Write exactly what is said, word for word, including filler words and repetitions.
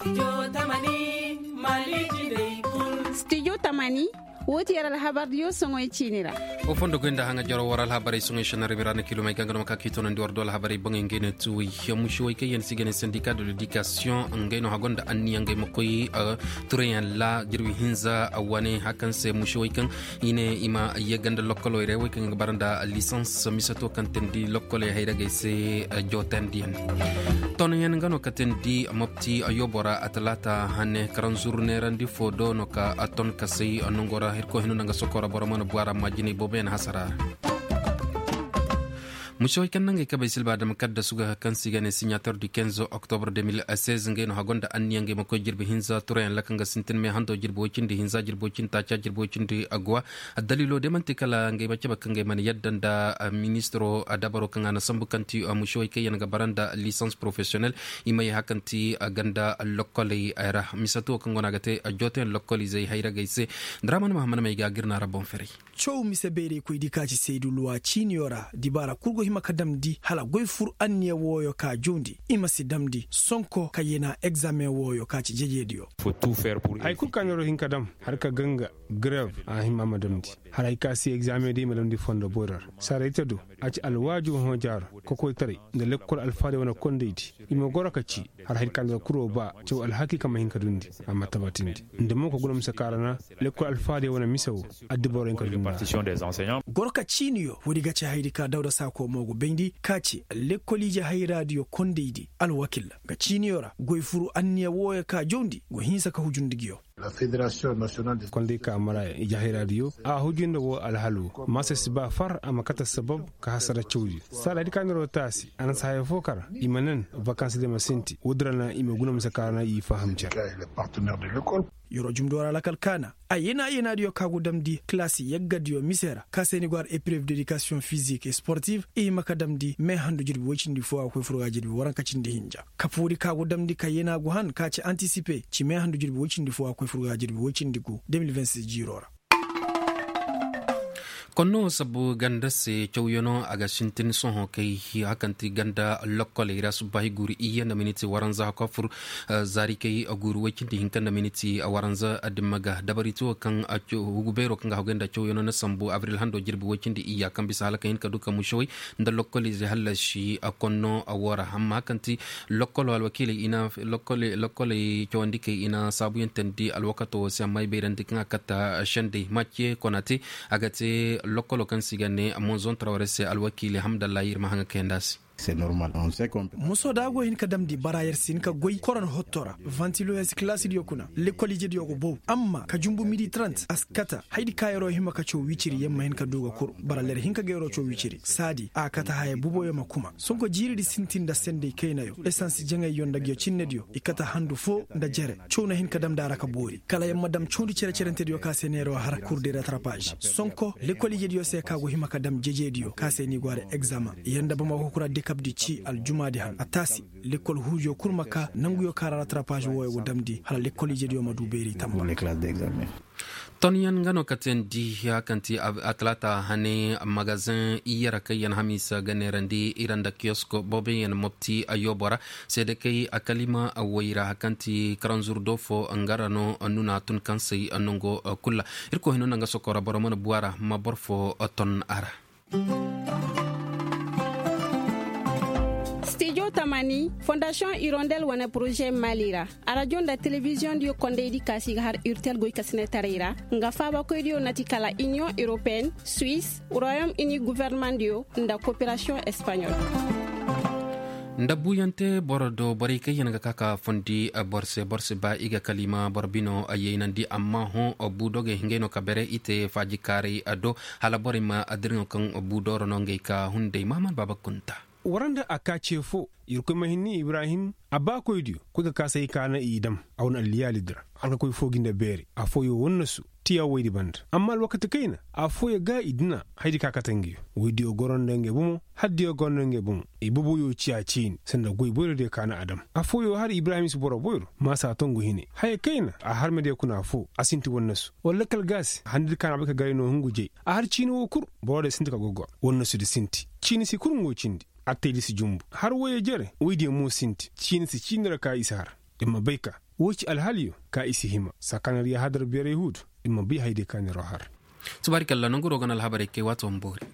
Studio tamani. Woo ti yer alhabardiyo soŋey ciini ra. Wo fondo goy nda haŋa jaro war alhabarey soŋey šenarey bira na kiilomey ga nga no ma ka k'i toonandi war do alhabarey boŋey ngey no tuuwey. Mušewey kaŋ yaŋ si ga ne sendika de ledikasiyoŋ ngey no hago nda anniya ngey ma koy tureyaŋ ra jirbi hinza wane hakaŋ se mušewey kaŋ i ne i ma yagga nda lokkoley ra wey kaŋ ga bara nda lisans misato kaŋ teendi lokkoley hayragey se. Jootandiyaŋ toonyaŋ nga no ka teendi mopti yoobo ra a talaata hane karanzur neerandi fo do no ka a ton kasay nango ra hirko hino nda nga soko ra boro mana bu a ra amma jinay booboyaŋ hasara ra. Mušewey kaŋ nangey kabey silba adama kaddasu ga kaŋ se i ga ne siɲator du kenzo oktobre deux mille seize ngey no hago nda anniya ngey ma koy jirbi hinza turayaŋ ra kaŋ ga sintin me hando jirbi woy cindi hinza jirbi woy cindi taaca jirbi woy cindi aguwa. Addaliilo day man'ti kala ngey ma cabe kaŋ ngey mana yadda nda ministiro dabaro kaŋ a na sambu kaŋ ti mušewey kaŋ yaŋ ga bara nda lisans porofesiyonel. I ma ye hakaŋ ti ganda lokkoley ra misato kaŋ go no a ga te jooteyaŋ lokkoliizey hayragey se. Daraman mahammad may ga gir na ra boŋ ferey. Caw mise bayraykoydi ka ci saydu luwa ciiniyo ra dibaara kul go hima ka damndi hala goy fur anniya wooyo ka jawndi i ma si damndi sonko ka yena egzaameŋ wooyo ka ci jejeediyo. Haya kul ka neeroo hin ka dam har ka ganga grev a hima a ma damndi. Har hay ka si egzaameŋ day i ma damndi fondo boyro ra saara ite do a ci alwaaju hõ jaaro kokoytaray nda lekkol alfahaday wane kondaydi. I ma goro ka ci har hay ka neeroo kuroo ba caw alhaki ka ma hin ka dundi a ma tabatindi nda mo ka guna mise ka ra na lekkol alfahaday wane mise wo. Addibaroyaŋ ka dundi. Goro ka ciiniyo woodi ga ci hayadi ka dawda saako mo go bayndi ka ci lekkol ije hayraadiyo kondaydi alwakil ga ciiniyo ra goy furu anniya wooyo ka jawndi go hinsa ka hujundi nguyo. Konday ka mara ije hayraadiyo a hujundi wo alhalo maasa si ba far a ma kate sabab ka hasara cawdiyo saada di ka neeroo taasi a na si haya fo kar i ma nan vakans de ma sinti woodi ra na i ma guna mise ka ra na i faham cer. Yeroo jumdo ra lakal kaana a yena yenaadiyo ka go damndi kilaasi yaggadiyo mise ra ka se ni go har eprev dedikasiyoŋ fizik sportif i hima ka damndi meehandu jirbi woy cindi fo a koy fur ga jirbi waranka cindi hinja. Kapoodi ka go damndi ka yena go han ka ci antisipe ci meehandu jirbi woy cindi fo a koy fur ga jirbi woy cindi gu deux mille vingt-six jiiroo ra. Konno sabu ganda se cawyanoo a ga sintin sohõ kay hakaŋ ti ganda lokkoley ra subbaahi guuri iyye nda miniti waranza hakko fur. Zaari kay guuri woy cindi hinka nda miniti waranza dimma ga dabari ti wo kaŋ hugu beeroo kaŋ ga haggoy nda cawyanoo na sambu abril hando jirbi woy cindi iyya kaŋ bisa hala ka hin ka du ka mušewey nda lokkoliizey hallasi konno woo ra amma hakaŋ ti lokkoloo alwakiiley i na lokkoley cawandikey i na saabuyaŋ teendi alwakato woo se amma i bayrandi kaŋ a katta sendey macce konate a ga te lokkoloo kaŋ se i ga ne monzon traware se alwakiiley hamdallahi ir ma haŋa kayandi a se. Moso da a go hin ka damndi bara yer si hin ka goy koron hotto ra vantilo yer si kilaasidiyo kuna lekkol ijediyo go bow amma ka jumbu midi trant a si kata hayadi ka yeroo hima ka caw wiciri yer ma hin ka du ga kur bara ler hin ka ga yeroo caw wiciri saadi a kata haya buboyo ma kuma sonko jiiridi sintin nda sendey kaynayo esans jaŋayyo nda nguyo cinnediyo i kata handu foo nda jere caw na hin ka damndi a ra ka boori kala yer ma dam cawndi cere-cerentediyo ka se neeroo har kur de ratrapaaž sonko lekkol ijediyo se ka go hima ka dam jejeediyo ka se ni go har egzama yer nda bamako kura dekabdi ci aljumaadi han a taasi lekkol huujo kul ma ka nanguyo ka ra ratrapaaž wooyo go damndi hala lekkol ijediyo ma du beeri tamba. Tonyaŋ nga no ka teendi ya kaŋ ti atalaata hane magazeŋ iyye ra kaŋ yaŋ hamiisa ga neerandi ira nda kiyosko booboyaŋ mopti yoobo ra seede kay akalima woy ra kaŋ ti karanzur do fo nga ra no nuna tun kaŋ say nango kul ra. Irkoy hino nda nga sokora boro mana bu a ra ma boro fo ton a ra. Stijo tamani fondasiyoŋ irondel wane poroze mali ra arajo nda telebiziyoŋ diyo kondaydi kaasi ga har urtel goy kasinetaray ra nga faabakoydiyo na ti kala iniyoŋ europeyenne, suwis, royom ini governemandiyo nda koperasiyoŋ espaɲol. Nda buuyante boro do borey kaŋ yaŋ ga ka ka fondi boro se boro si ba i ga kalima boro bino yaynandi amma hõ bu dogey ngey no ka bere i te faajikaaray do hala borey ma dirŋo kaŋ bu dooro no ngey ka hunday mahaman baaba kunta. War nda a ka ce fo irkoy ma hinni ibrahim a baakoydiyo koy ga ka say ka na i dam a wane alliyaalidi ra hala ka koy fo gi nda beeri afooyo wannasu tiya woydi banda amma alwakati kayna afooyo ga i dina haydi ka kate ngey woydiyo goro nda ngey bomo haddiyo goro nda ngey bomo i boboyo ciya ciini sanda goy boyrodiyo ka na a dam afooyo har ibrahim si boro boyro maasa tongu hine haya kayna a harmediyo kuna fo a sinti wannasu wala lakkal ga se handidi ka na bay ka garay no hungu jay a har ciini wo kul borodiyo sinti ka gogor wannasudi sinti ciini si kul ngo cindi attaydi si jumbu har woyey jere woydiyo mo sinti ciini si ciini ra ka i si har ir ma bay ka Woo ci alhaliyo ka i si hima sakanariya hadar beeray huudu. I ma bay hayday ka neeroo har. Tubaari kalla nonguroo ga na alhabarey kay waati wa ma boori.